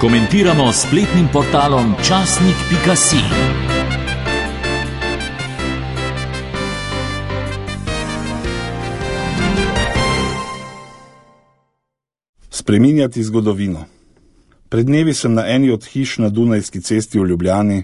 Komentiramo s spletnim portalom časnik.si. Spreminjati zgodovino. Pred dnevi sem na eni od hiš na Dunajski cesti v Ljubljani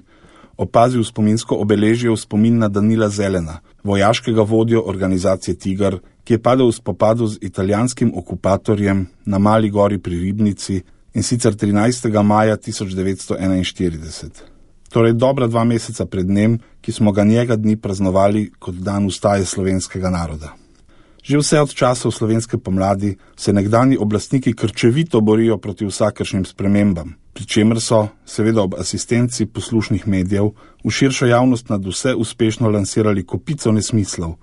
opazil spominsko obeležje v spomin na Danila Zelena, vojaškega vodjo organizacije Tigar, ki je padel v spopadu z italijanskim okupatorjem na Mali gori pri Ribnici, in sicer 13. maja 1941. Torej dobra 2 meseca pred dnem, ki smo ga njega dni praznovali kot dan ustaje slovenskega naroda. Že vse od časov slovenske pomladi se nekdanji oblastniki krčevito borijo proti vsakršnim spremembam, pri čemer so, seveda ob asistenci poslušnih medijev, v širšo javnost nad vse uspešno lansirali kopico nesmislov,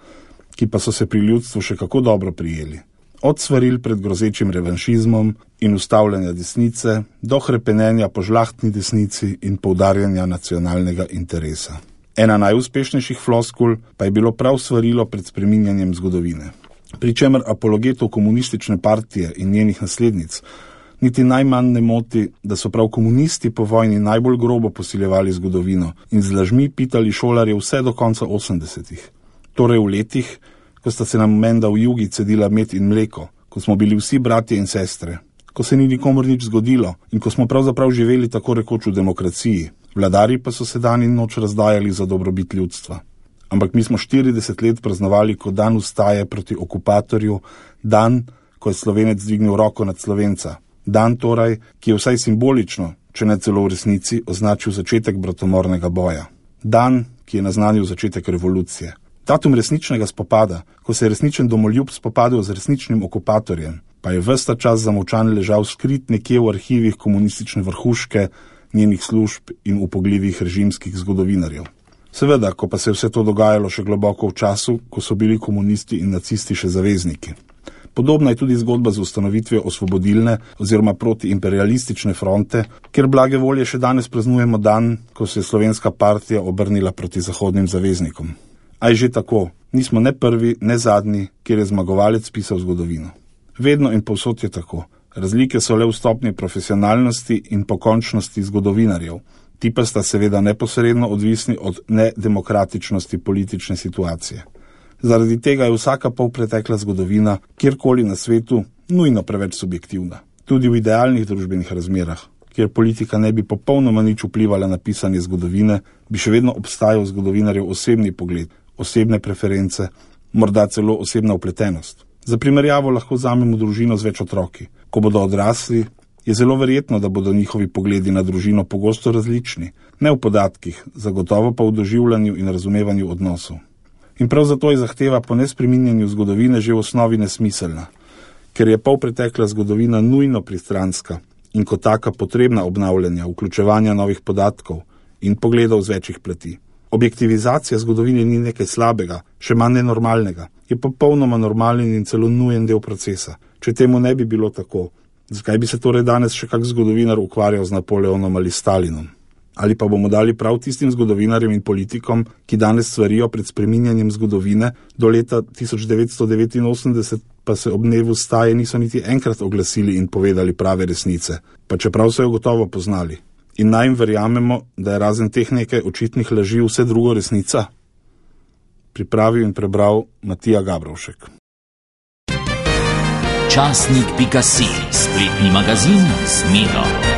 ki pa so se pri ljudstvu še kako dobro prijeli. Od svaril pred grozečim revanšizmom in ustavljanja desnice do hrepenenja po žlahtni desnici in poudarjanja nacionalnega interesa. Ena najuspešnejših floskul pa je bilo prav svarilo pred spreminjanjem zgodovine. Pri čemer apologetov komunistične partije in njenih naslednic niti najmanj ne moti, da so prav komunisti po vojni najbolj grobo posiljevali zgodovino in z lažmi pitali šolarje vse do konca 80-ih. Torej v letih, ko sta se nam menda v jugi cedila med in mleko, ko smo bili vsi bratje in sestre, ko se ni nikomor nič zgodilo in ko smo pravzaprav živeli tako rekoč v demokraciji, vladari pa so se dan in noč razdajali za dobrobit ljudstva. Ampak mi smo 40 let praznovali kot dan ustaje proti okupatorju, dan, ko je Slovenec dvignil roko nad Slovenca. Dan torej, ki je vsaj simbolično, če ne celo v resnici, označil začetek bratomornega boja. Dan, ki je naznanil začetek revolucije. Datum resničnega spopada, ko se je resničen domoljub spopadel z resničnim okupatorjem, pa je ves ta čas zamolčan ležal skrit nekje v arhivih komunistične vrhuške, njenih služb in upogljivih režimskih zgodovinarjev. Seveda, ko pa se je vse to dogajalo še globoko v času, ko so bili komunisti in nacisti še zavezniki. Podobna je tudi zgodba z ustanovitvijo osvobodilne oziroma protiimperialistične fronte, kjer blage volje še danes praznujemo dan, ko se je slovenska partija obrnila proti zahodnim zaveznikom. A je že tako, nismo ne prvi, ne zadnji, kjer je zmagovalec pisal zgodovino. Vedno in povsod je tako. Razlike so le v stopnji profesionalnosti in pokončnosti zgodovinarjev. Ti pa sta seveda neposredno odvisni od nedemokratičnosti politične situacije. Zaradi tega je vsaka polpretekla zgodovina, kjerkoli na svetu, nujno preveč subjektivna. Tudi v idealnih družbenih razmerah, kjer politika ne bi popolnoma nič vplivala na pisanje zgodovine, bi še vedno obstajal zgodovinarjev osebni pogled, osebne preference, morda celo osebna vpletenost. Za primerjavo lahko vzamemo družino z več otroki. Ko bodo odrasli, je zelo verjetno, da bodo njihovi pogledi na družino pogosto različni, ne v podatkih, zagotovo pa v doživljanju in razumevanju odnosov. In prav zato je zahteva po nespreminjanju zgodovine že v osnovi nesmiselna, ker je polpretekla zgodovina nujno pristranska in kot taka potrebna obnavljanja, vključevanja novih podatkov in pogledov z večjih plati. Objektivizacija zgodovine ni nekaj slabega, še manj nenormalnega, je popolnoma normalen in celo nujen del procesa. Če temu ne bi bilo tako, zakaj bi se torej danes še kak zgodovinar ukvarjal z Napoleonom ali Stalinom? Ali pa bomo dali prav tistim zgodovinarjem in politikom, ki danes svarijo pred spreminjanjem zgodovine, do leta 1989 pa se ob dnevu staje niso niti enkrat oglasili in povedali prave resnice, pa čeprav so jo gotovo poznali. In naj jim verjamemo, da je razen teh nekaj očitnih laži vse drugo resnica? Pripravil in prebral Matija Gabrovšek. Časnik.si, spletni magazin z Miro.